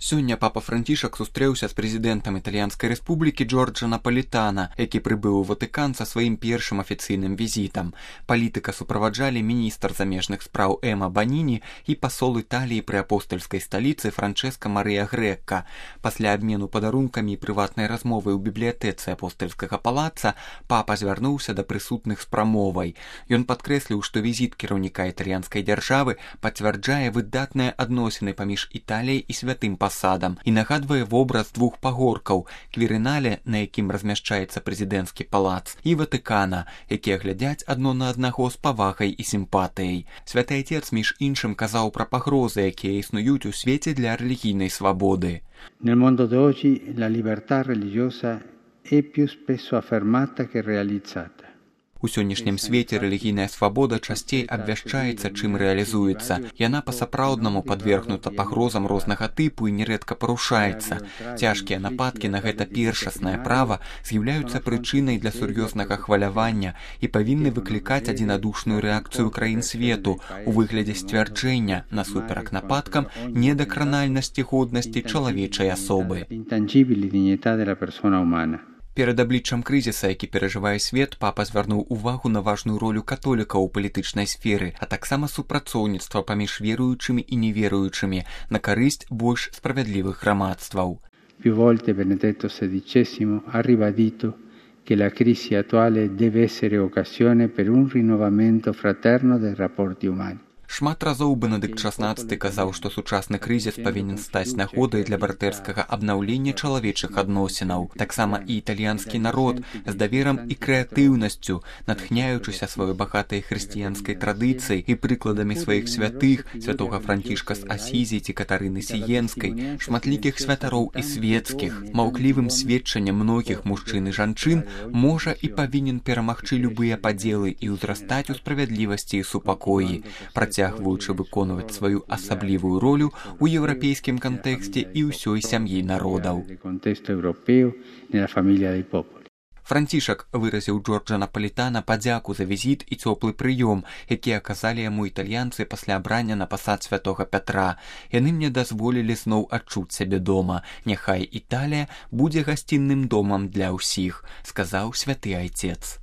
Сёння папа Францішак сустрэўся з прэзідэнтам італьянскай рэспублікі Джорджа Напалітана, які прыбыў у Ватыкан са сваім першым афіцыйным візітам. Палітыка суправаджалі міністр замежных спраў Эма Баніні і пасол Італіі пры апостальскай сталіцы Франчэска Марыя Грэкка. Пасля абмену падарункамі і прыватнай размовы ў бібліятэцы апостальскага палаца папа звярнуўся да прысутных з прамовай. Ён падкрэсліў, што візіт кіраўніка італьянскай дзяржавы пацвярджае выдатныя адносіны паміж Італіяй і святым пасадам і нагадвае вобраз двух пагоркаў – Квірынале, на якім размяшчаецца прэзідэнцкі палац, і Ватыкана, якія глядзяць адно на аднаго з павагай і сімпатыяй. Святы Айцец, між іншым, казаў пра пагрозы, якія існуюць у свеце для рэлігійнай свабоды. Nel mondo d'oggi la libertà religiosa è più spesso affermata che realizzata. У сённяшнім свеце рэлігійная свабода часцей абвяшчаецца, чым рэалізуецца. Яна па-сапраўднаму падвергнута пагрозам рознага тыпу і нерэдка парушаецца. Цяжкія нападкі на гэта першаснае права з'яўляюцца прычынай для сур'ёзнага хвалявання і павінны выклікаць адзінадушную рэакцыю краін свету у выглядзе сцвярджэння насуперак нападкам недакранальнасці годнасці чалавечай асобы. Перад абліччам крызіса, які перажывае свет, папа звярнуў увагу на важную ролю католікаў у палітычнай сферы, а таксама супрацоўніцтва паміж веруючымі і неверуючымі на карысць больш справядлівых грамадстваў. Più volte Benedetto XVI ha ribadito che la crisi attuale deve essere occasione per un rinnovamento fraterno dei rapporti umani. Шмат разоў Бенедыкт XVI казаў, што сучасны крызіс павінен стаць нагодай для братэрскага абнаўлення чалавечых адносінаў. Таксама і італьянскі народ з даверам і крэатыўнасцю, натхняючыся сваёй багатай хрысціянскай традыцыяй і прыкладамі сваіх святых, святога Францішка з Асізі ці Катарыны Сіенскай, шматлікіх святароў і светскіх, маўклівым сведчаннем многіх мужчын і жанчын, можа і павінен перамагчы любыя падзелы і ўзрастаць у справядлівасці і супакоі, працягваючы выконваць сваю асаблівую ролю ў еўрапейскім кантэксце і ўсёй сям'і народаў. Францішак выразіў Джорджа Напалітана падзяку за візіт і цёплы прыём, які аказалі яму італьянцы пасля абрання на пасад святога Пятра. Яны мне дазволілі зноў адчуць сябе дома. Няхай Італія будзе гасцінным домам для ўсіх, сказаў святы Айцец.